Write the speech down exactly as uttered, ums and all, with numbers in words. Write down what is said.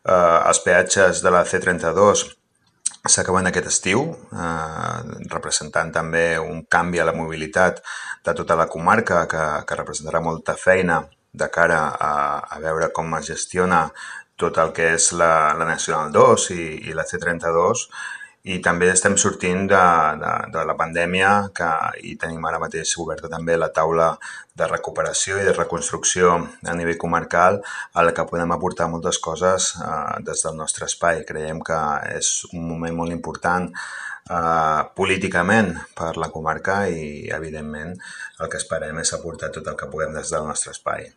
Eh, els peatges de la C trenta-dos s'acaben aquest estiu, eh, representant també un canvi a la mobilitat de tota la comarca que, que representarà molta feina de cara a, a veure com es gestiona tot el que és la, la Nacional dos i, i la C trenta-dos, i també estem sortint de, de, de la pandèmia que, i tenim ara mateix oberta també la taula de recuperació i de reconstrucció a nivell comarcal, a la que podem aportar moltes coses eh, des del nostre espai. Creiem que és un moment molt important eh, políticament per la comarca i, evidentment, el que esperem és aportar tot el que puguem des del nostre espai.